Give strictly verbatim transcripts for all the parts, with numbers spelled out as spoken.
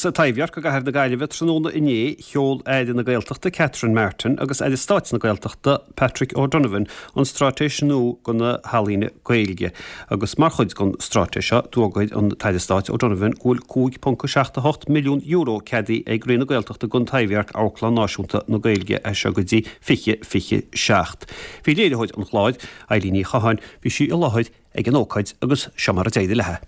Sa Taibhdhearc i gcathair na Gaillimhe tráthnóna inné, sheol Aire na Gaeltachta Catherine Martin agus Aire Stáit na Gaeltachta Patrick O'Donovan an straitéis nua do na healaíona Gaeilge. Agus mar chuid den straitéis seo d'fhógair an tAire Stáit O'Donovan go bhfuil cúig ponc a seacht a hocht milliún euro ceadaithe ag Roinn na Gaeltachta don Taibhdhearc Amharclann Náisiúnta na Gaeilge as seo go dtí fiche fiche seacht. Bhí léiritheoir an chláir, Eilín Ní Chatháin, bhí sí i láthair ag an ócáid agus seo mar a d'éirigh léi.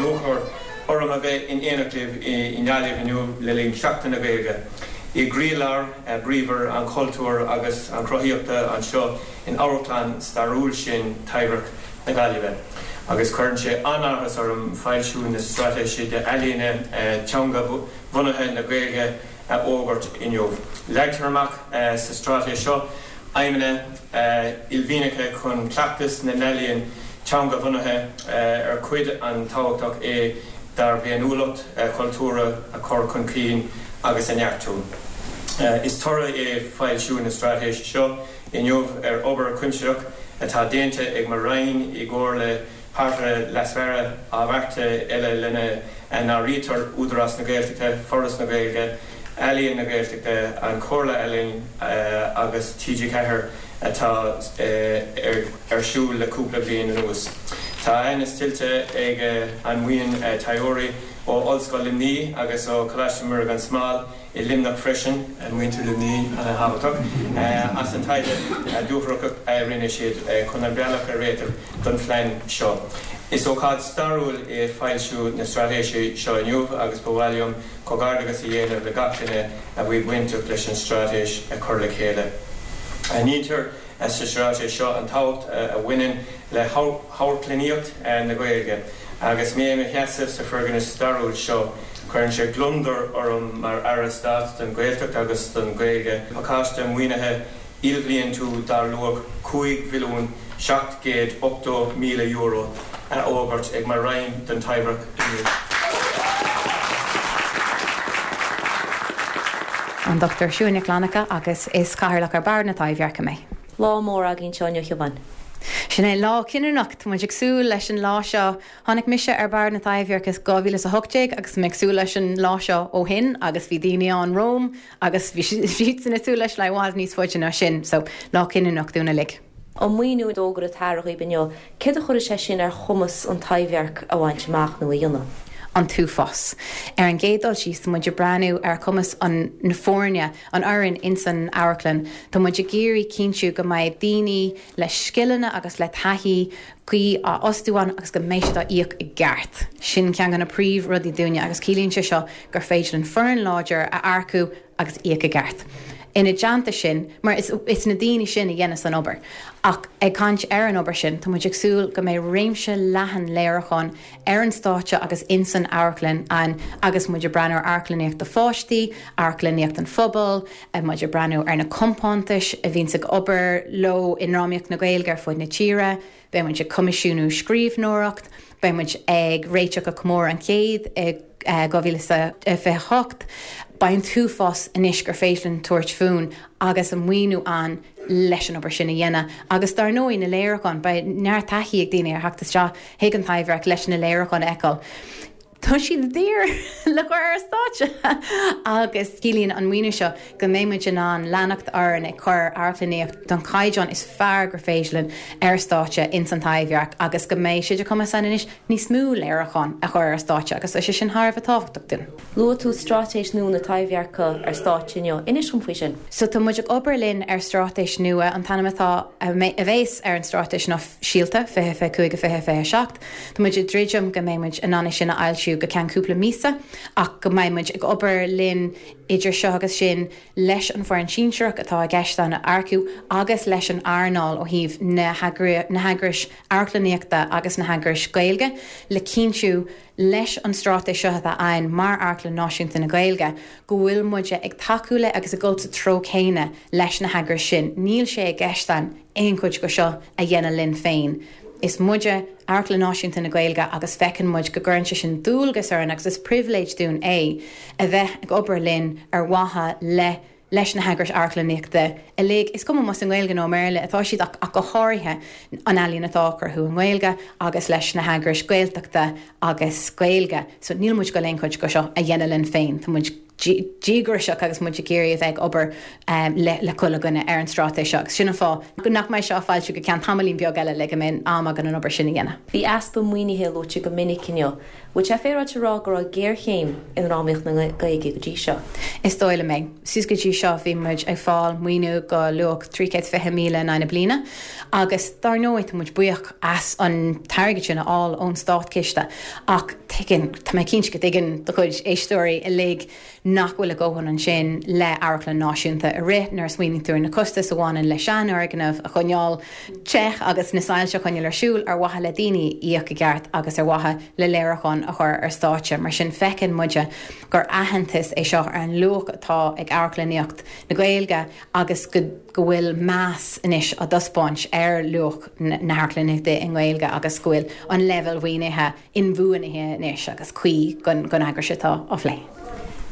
Lúcháir orm a bheith in éineacht libh i nGaillimh inniu le linn Sheachtain na Gaeilge, i gcroílár bríomhar an chultúir agus an chruthaíochta anseo in amharclann stairiúil sin Taibhdhearc na Gaillimhe. Agus cuireann sé an-áthas orm foilsiú na Straitéise d'Ealaíona Teanga-Bhunaithe na Gaeilge a fhógairt inniu. Leagtar amach sa straitéis seo aidhmeanna uaillmhianacha chun cleachtas na n-ealaíon teanga-bhunaithe, ar cuid an-tábhachtach é dár bhféiniúlacht chultúrtha, a chur chun cinn agus a neartú. Is toradh é foilsiú na straitéise seo inniu ar obair chuimsitheach atá déanta ag mo Roinn i gcomhar le páirtithe leasmhara ábhartha eile lena n-áirítear Údarás na Gaeltachta, Foras na Gaeilge, Ealaín na Gaeltachta, An Chomhairle Ealaíon agus T G ceathair atá ar siúl le cúpla bliain anuas. Tá aitheantas tuillte ag an mbuíon taighdeoirí ó Ollscoil Luimnigh agus ó Choláiste Mhuire gan Smál i Luimneach freisin, muintir Luimnigh ana-thábhachtach, as an taighde dúthrachtach a rinne siad chun an bealach a réiteach don phlean seo. Is ócáid stairiúil é foilsiú na straitéise seo inniu agus ba mhaith liom comhghairdeachas a dhéanamh le gach duine a bhí bainteach leis an straitéis a chur le chéile. Aithnítear sa straitéis seo an tábhacht a bhaineann le hamharclannaíocht na Gaeilge. Agus mé i mo sheasamh sa foirgneamh stairiúil seo, cuireann sé gliondar orm mar Aire Stáit don Ghaeltacht agus don Ghaeilge pacáiste maoinithe ilbhliantúil dar luach cúig mhilliún seacht gcéad ochtó míle euro a fhógairt ag mo Roinn don Taibhdhearc inniu. An Dochtúir Siún Nic Fhlannchadha agus is Cathaoirleach ar Bhord na Taibhdheirce mé. Lá mór againn anseo inniu, a Shiobháin. Sin é lá cinniúnach, tá muid ag súil leis an lá seo. Tháinig mise ar Bhord na Taibhdheirce i dhá mhíle is a hocht déag agus tá mé ag súil leis an lá seo ó shin agus bhí daoine ann romham agus bhí siadsan ag súil leis le i bhfad níos faide ná sin, so lá cinniúnach dúinn uilig. An maoiniú a d'fhógair an tAire dhaoibh inniu, céard a chuirfidh sé sin ar chumas an Taibhdhearc a bhaint amach nó a dhéanamh? An t-uafás. Ar an gcéad dul síos, tá muid ag breathnú ar chumas an na foirne, an fhoireann ins an amharclann. Tá muid ag iarraidh cinntiú go mbeidh daoine le scileanna agus le taithí cuí á fhostú ann agus go mbeidh siad á íoc i gceart. Sin ceann de na príomhrudaí dúinne agus ciallaíonn sé seo gur féidir linn foireann láidir a earcú agus íoc i gceart. Ina dteannta sin, mar is is na daoine sin a dhéanas an obair, ach ag caint ar an obair sin, tá muid ag súil go mbeidh réimse leathan léiriúchán ar an stáitse agus ins an amharclann ann agus muid ag breathnú ar amharclannaíocht do pháistí, amharclannaíocht an phobail, muid ag breathnú ar na compántais a bhíonns ag obair leo i ndrámaíocht na Gaeilge ar fud na tíre, beidh muid ag coimisiúnú scríbhneoireacht, beidh muid ag réiteach do chomóradh an chéid i dhá mhíle is a fiche a hocht. Beidh an t-uafás anois gur féidir linn tabhairt fúinn agus an maoiniú ann leis an obair sin a dhéanamh. Agus dar ndóigh na léiriúcháin, beidh neart taithí ag daoine ar theacht isteach chuig an Taibhdhearc leis na léiriúcháin a fheiceáil. Tá siad daor le cur ar stáitse! Agus ciallaíonn an maoiniú seo go mbeidh muid in ann leanacht orainn ag cur amharclannaíocht den chaighdeán is fearr gur féidir linn ar stáitse ins an Taibhdhearc agus go mbeidh sé de chumas againn anois níos mó léiriúchán a chur ar stáitse agus tá sé sin thar a bheith tábhachtach dúinn. Luaigh tú straitéis nua na Taibhdheirce ar stáitse inniu. Inis dom faoi sin. So tá muid ag obair linn ar straitéis nua. An t-ainm atá, a bheas ar an straitéis ná Síolta, fiche fiche cúig go fiche fiche seacht. Tá muid ag druidim go mbeidh muid in ann é sin a fhoilsiú go ceann cúpla míosa ach go mbeidh muid ag obair linn idir seo agus sin leis an bhfoireann sinsearach atá i gceist ann a earcú agus leis an earnáil ó thaobh na heagrais amharclannaíochta agus na heagrais Gaeilge le cinntiú leis an straitéis seo atá againn mar Amharclann Náisiúnta na Gaeilge go bhfuil muide ag tacú le agus ag dul sa treo céanna leis na heagrais sin. Níl sé i gceist againn aon chuid de seo a dhéanamh linn féin. Is muide Amharclann Náisiúnta na Gaeilge agus feiceann muid go gcuireann sé sin dualgas orainn agus is pribhléid dúinn é a bheith ag obair linn ar mhaithe le leis na heagrais amharclannaíochta uilig, is cuma más i nGaeilge nó Béarla atá siad ach, ach go háirithe an ealaín atá á cruthú i nGaeilge agus leis na heagrais Gaeltachta agus Gaeilge. So níl muid ag goil aon chuid de seo a dhéanamh linn féin, Tá muid díograiseach agus muid ag iarraidh a bheith ag obair um, le, le chuile dhuine ar an straitéis seo. Sin an fáth go nach mbeidh sé á fhoilsiú go ceann tamaillín beag eile le go mbeidh am againn an obair sin a dhéanamh. Bhí easpa maoinithe luaite go minic inniu. Bhfuil sé féaráilte a rá go raibh géarchéim i ndrámaíocht na Gaeilge go dtí seo. Is dóigh liom é. Suas go dtí seo bhí muid ag fáil maoiniú go luach trí chéad fiche míle in aghaidh na bliana, agus dar ndóigh tá muid buíoch as an t-airgead sin a fháil ón státchiste ach tuigeann tá mé cinnte go dtuigeann do chuid éisteoirí uilig nach bhfuil a dhóthain ansin le amharclann náisiúnta a rith nuair a smaoiníonn tú ar na costais a bhaineann le seanfhoirgneamh a choinneáil te agus na soilse a choinneáil ar siúl ar mhaithe le daoine a íoc i gceart agus ar mhaithe le léiriúcháin a chur ar stáitse. Mar sin feiceann muide gur aitheantas é seo ar an luach atá ag amharclannaíocht na Gaeilge agus go go bhfuil meas anois á thaispeáint ar luach na hamharclannaíochta i nGaeilge agus go bhfuil an leibhéal maoinithe inbhuanaithe anois agus cuí don don eagras atá á phlé.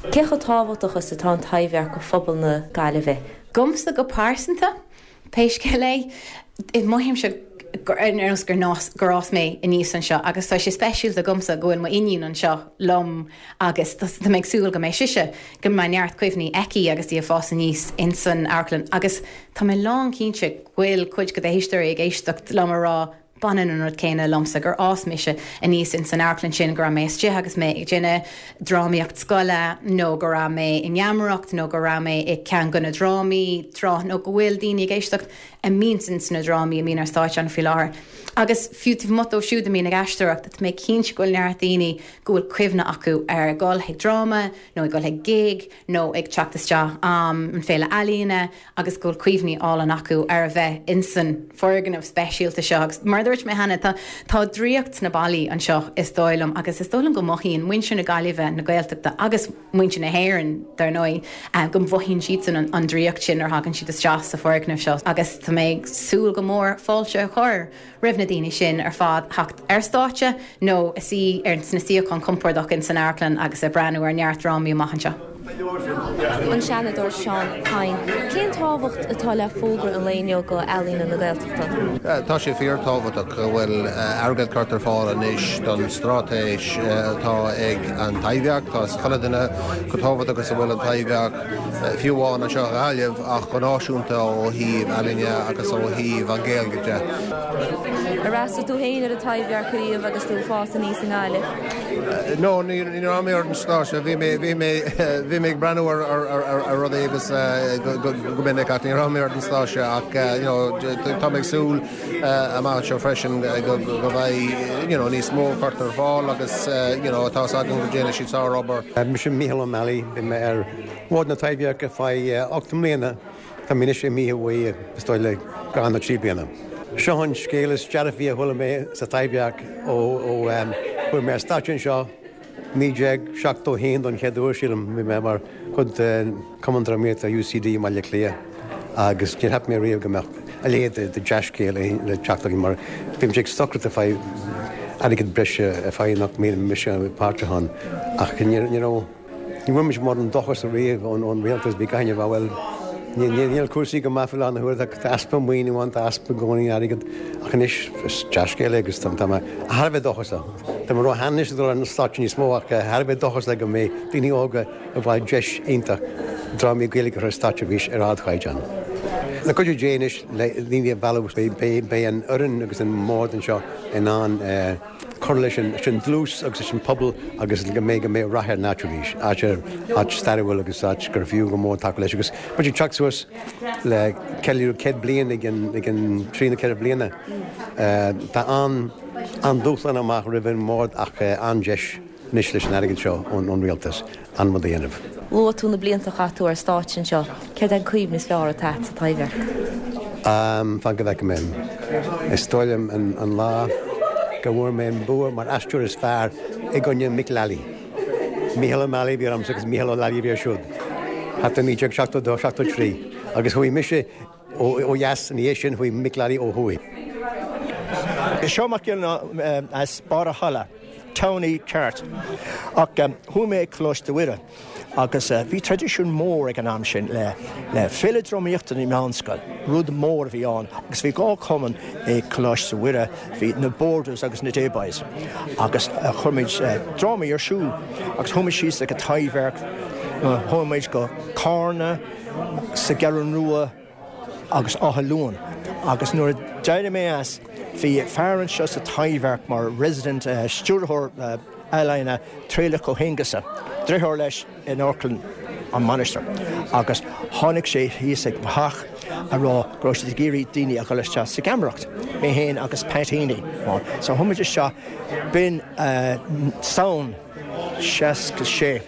Cé chomh tábhachtach is atá an Taibhdhearc do phobal na Gaillimhe. Domsa go pearsanta pé scéal é mothaímse ar nós gur gur fhás mé aníos anseo agus tá sé speisialta domsa go bhfuil m'iníon anseo liom agus tá mé ag súil go mbeidh sise go mbeidh neart cuimhní aici agus í ag fás aníos insan amharclann agus tá mé lán cinnte go bhfuil cuid de d'éisteoirí ag éisteacht liom a rá baineann an rud céanna liomsa gur fhás mise aníos in san amharclann sin go raibh mé istigh agus mé ag déanamh drámaíocht scoile nó go raibh mé i ngeamaireacht nó go raibh mé i gceann de na drámaí tráth nó go bhfuil daoine ag éisteacht a mbíonn sna drámaí a mbíonn ar stáitse ann faoi láthair. Agus fiú taobh amuigh dóibh siúd a mbíonn ag aisteoireacht, tá mé cinnte go bhfuil neart daoine go bhfuil cuimhne acu ar dul chuig dráma nó ag dul chuig gig nó ag teacht isteach um, an féile ealaíne agus go bhfuil cuimhní álainn acu ar a bheith insan foirgneamh speisialta seo. Agus mar dúirt mé cheana tá tá draíocht sna ballaí anseo is dóigh liom agus is dóigh liom go mothaíonn muintir na Gaillimhe na Gaeltachta agus muintir na hÉireann dar ndóigh uh, go mothaíonn siad an, an draíocht sin nuair a thagann siad isteach sa foirgneamh seo agus tá mé ag súil go mór fáilte a chur roimh na daoine sin ar fad theacht ar stáitse nó a suí ar sna suíocháin compordach in san amharclann agus ag breathnú ar neart drámaí amach anseo. An Seanadóir Seán Kyne, Cén tábhacht atá le fógra an lae inniu go ealaíona na Gaeltachta? Tá sé fíorthábhachtach go bhfuil airgead curtha ar fáil anois don straitéis atá ag an Taibhdhearc tá chuile dhuine go tábhachtach agus a bhfuil an Taibhdhearc fiú amháin anseo i nGaillimh ach go náisiúnta ó thaobh ealaíne agus ó thaobh an Ghaeilge de. Ar fhreastail tú féin ar an Taibhdhearc riamh agus tú ag fás aníos i nGaillimh. No ní raibh mé ar an stáitse bhí mé bhí mé bhí mé ag breathnú ar ar rudaí agus go minic ach ní raibh mé ar an stáitse ach tá ag súil amach seo freisin go bheidh níos mó curtha ar fáil agus tá agam go ndéanfaidh siad sárobair. Mise Mícheál Ó Meallaigh bhí mé ar bhord na Taibhdheirce feadh ocht mbliana Tá mé anois imithe uaidh is dóigh le dhá nó trí bliana. Seo an scéal is dearfaí a chuala mé sa Taibhdhearc ó chuaigh mé ar stáitse anseo naoi déag seachtó haon don chéad uair sílim bhí mé mar chuid de Cumann Drámaíochta UCD i mBaile Átha Cliath agus níor cheap mé riamh go mbeadh a leithéid de dea-scéal le teacht againn mar bhí muid ag stocaireacht ag fáil airgead breise a fáil nach mbeadh mise páirteach ann ach ní raibh ní bhfuair muid mórán dóchas riamh ón ón rialtas bhí gach éinne ag rá bhuel níl cúrsaí go maith faoi láthair na huaire tá easpa maoiniú ann tá easpa i gcónaí airgead ach anois is dea-scéal é agus tá mé thar a bheith dóchasach. Tá mé róshean anois dul ar an stáitse níos mó ach thar a bheith dóchasach go mbeidh daoine óga ag fáil deis iontach drámaí Gaeilge a chur ar stáitse arís ar ardchaighdeán. Le cuidiú Dé anois le daoine a mhealladh beidh an fhoireann agus an bord anseo in ann cur leis an dlús agus leis an pobal agus go mbeidh go mbeidh rath ar an áit arís, áit áit stairiúil agus áit gur fiú go mór tacú leis agus muid ag teacht suas le ceiliúradh céad bliain ag an ag an trí nó ceithre bliana. Tá an an-dúshlán amach roimh an mbord ach an-deis anois leis an airgead seo ón rialtas an rud a dhéanamh. Luaigh tú na blianta a chaith tú ar stáitse anseo, céard é an cuimhne is fearr atá agat sa Taibhdhearc? Fan go bhfeice mé. Is dóigh liom an lá go bhfuair mé an bua mar aisteoir is fearr i gcoinne Mick Lally. Mícheál Ó Meallaigh a bhí ormsa agus Mícheál Ó Lally a bhí air siúd. Thart ar naoi déag seachtó dó, seachtó trí. Agus chuaigh mise ó dheas ina dhiaidh sin chuaigh Mick Lally ó thuaidh. Seán Mac Giollarnáth as Barr a' Cholla. townie ceart. Ach um, chuaigh mé ag Coláiste Mhuire agus uh, bhí traidisiún mór ag an am sin le le féile drámaíochta na meánscoil, rud mór a bhí ann, agus bhí dhá chumann ag Coláiste Mhuire, bhí na Boarders agus na Dayboys. Agus uh, chuir muid uh, drámaí ar siúl agus chuaigh muid síos ag an Taibhdhearc, chuaigh muid go Carna sa Cheathrú Rua agus Áth Luain. Agus nuair a d'éirigh mé as bhí fear anseo sa Taibhdhearc mar resident uh, stiúrthóir uh, ealaíne Traolach Ó hAonghusa. Deartháir leis in Amharclann an Mainistir. Agus tháinig sé thíos ag mo theach a rá go raibh siad ag iarraidh daoine a dhul isteach sa gheamaireacht, mé féin agus Pat Heaney. So chuaigh muid isteach b'in uh, Samhain seasca sé.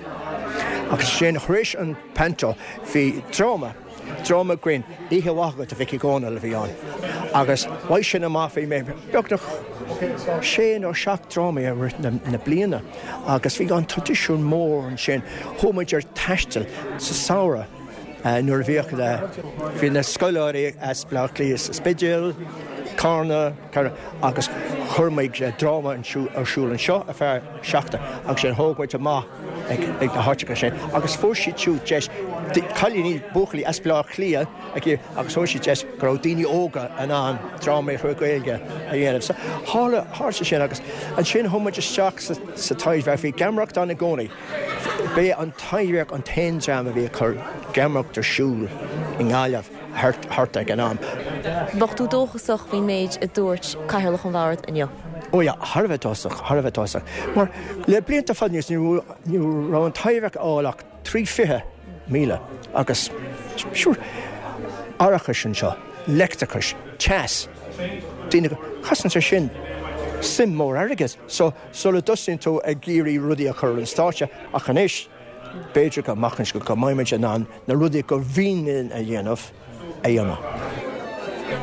Agus sin tar éis an panto bhí dráma dráma grinn Oíche Mhaith Agat a Mhic Dhónaill a bhí ann. Agus bhain sin amach bhí mé beagnach sé nó seacht drámaí i rith na, na bliana agus bhí an traidisiún mór ansin chuaigh muid ar taisteal sa samhradh uh, nuair a bhíodh bhí na scoláirí as Bleá Cliath sa Spidéal, Carna, Carna agus chuir muid dráma ar siúl anseo ar feadh seachtain agus sin thóg muid amach ag na háiteacha sin agus fuair siad siúd deis cailíní buachaillí as Bleá Cliath agus fuair siad deis go raibh daoine óga in ann drámaí trí Ghaeilge a dhéanamh. So tharla tharla sin agus ansin chuaigh muid isteach sa, sa Taibhdhearc bhí geamaireacht ann i gcónaí. B'é an Taibhdhearc an t-aon dream a bhí ag cur geamaireacht ar siúl i nGaillimh thart ag an am. Bheadh tú dóchasach faoin méid a dúirt Cathaoirleach an Bhoird inniu. Ó ja, thar a bheith dóchasach, thar a bheith dóchasach. Mar le blianta fada anuas ní raibh an Taibhdhearc ag fáil ach trí fiche míle agus sure árachas anseo, leictreachas, teas, daoine cosnaíonn sé sin suim mór airgid, so sula dtosaíonn tú ag iarraidh rudaí a chur an stáitse ach anois b'fhéidir go amach go go mbeimid in ann na rudaí gur mhian linn a dhéanamh a dhéanamh.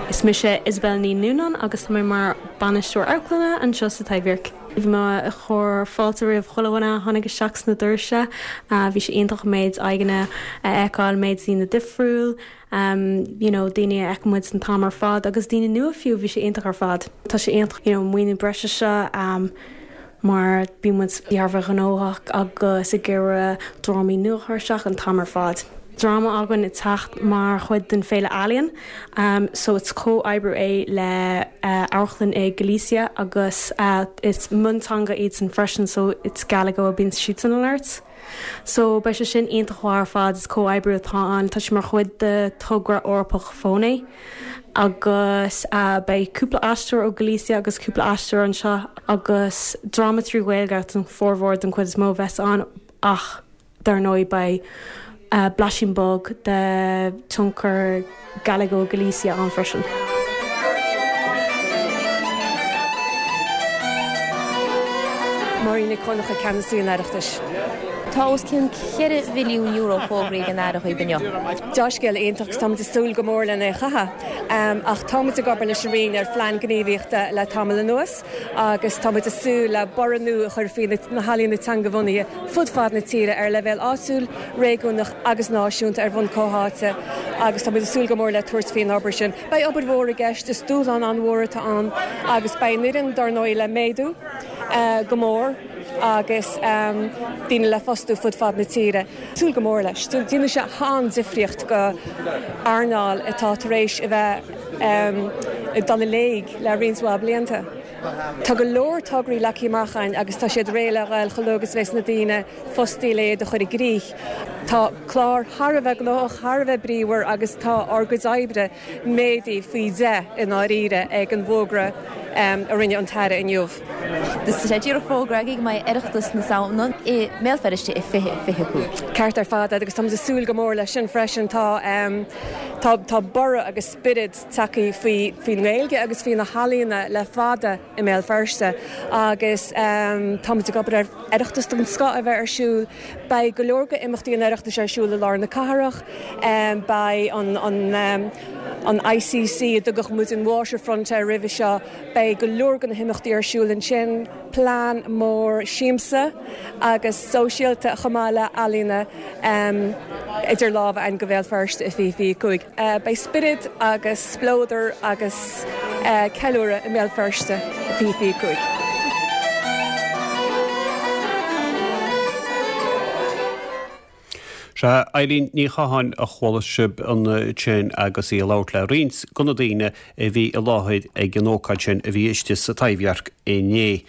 Is mise Isabel Ní Nunan agus tá mé mar bainisteoir amharclainne anseo sa Taibhdhearc. Bhí mé ag cur fáilte roimh chuile dhuine a tháinig isteach sna doirse, bhí sé iontach méid aghaidheanna a fheiceáil méid daoine difriúil, um, you know, daoine a fheiceann muid an t-am ar fad agus daoine nua fiú bhí sé iontach ar fad. Tá sé iontach you know, maoiniú breise seo um, mar bíonn muid thar a bheith gnóthach agus ag iarraidh drámaí nua a chur isteach an t-am ar fad. Dráma againn ag teacht mar chuid den Féile Ealaíon, um, so it's comhoibriú é le uh, amharclann i Galicia agus uh, it's mionteanga iad san freisin so it's Galego a bíonn siad san alert. So beidh sé sin iontach ar fad is comhoibriú atá ann tá sé mar chuid de togra Eorpach Fónais agus uh, beidh cúpla aisteoir ó Galicia agus cúpla aisteoir anseo agus dráma trí Ghaeilge an formhór den chuid is mó bheas ann ach dar ndóigh beidh uh, blaisín beag de tionchar Galego Galicia ann freisin. Máirín Nic Dhonncha ceannasaí an Oireachtais. Tá os cionn ceithre mhilliún euro fógraithe ag an Aire dhaoibh inniu. Dea-scéal iontach táimid ag súil go mór lena chaitheamh, ach táimid ag obair leis an Roinn ar phlean gníomhaíochta le tamall anuas agus táimid ag súil le borradh nua a chur faoi na healaíona teangabhunaithe fud fad na tíre ar leibhéal áitiúil, réigiúnach agus náisiúnta ar bhonn comhtháite agus táimid ag súil go mór le tabhairt faoin obair sin. Beidh obair mhór i gceist is dúshlán an-mhór atá ann agus beidh an fhoireann dar ndóigh le méadú go mór agus daoine le fostú fud fad na tíre. Súil go mór leis. Déanfaidh sé an-difríocht go earnáil atá tar éis a bheith ag dul i léig le roinnt mhaith blianta. Tá go leor tograí leagtha amach againn agus tá siad réidh le ghabháil chomh luath agus a bheas na daoine fostaithe le iad a chur i gcrích. Tá clár thar a bheith gnóthach, thar a bheith bríomhar agus tá ár gcuid oibre méadaithe faoi deich i ndáiríre ag an bhfógra a rinne an tAire inniu. Tá sé díreach fógraithe agaibh go mbeidh Oireachtas na Samhna i mBéal Feirste i fiche fiche cúig. Ceart ar fad agus táimid ag súil go mór leis sin freisin. Tá tá tá borradh agus spiorad tagtha faoi faoin nGaeilge agus faoi na healaíona le fada i mBéal Feirste agus táimid ag obair ar Oireachtas den scoth a bheith ar siúl. Beidh go leor go imeachtaí an Oireachtais ar siúl i lár na cathrach, beidh an an an I C C a dtugadh muid an Waterfront air roimhe seo, beidh go leor de na himeachtaí ar siúl ansin, plean mór siamsa agus sóisialta chomh maith le ealaíona idir lámha againn go Bhéal Feirste i fiche fiche cúig. Beidh spiorad agus spleodar agus ceiliúradh i mBéal Feirste i fiche fiche cúig. Sea Eileen Ní Chatháin a chuala sibh ansin agus í ag labhairt le roinnt de na daoine a bhí i láthair ag an ócáid sin a bhí istigh sa Taibhdhearc inné.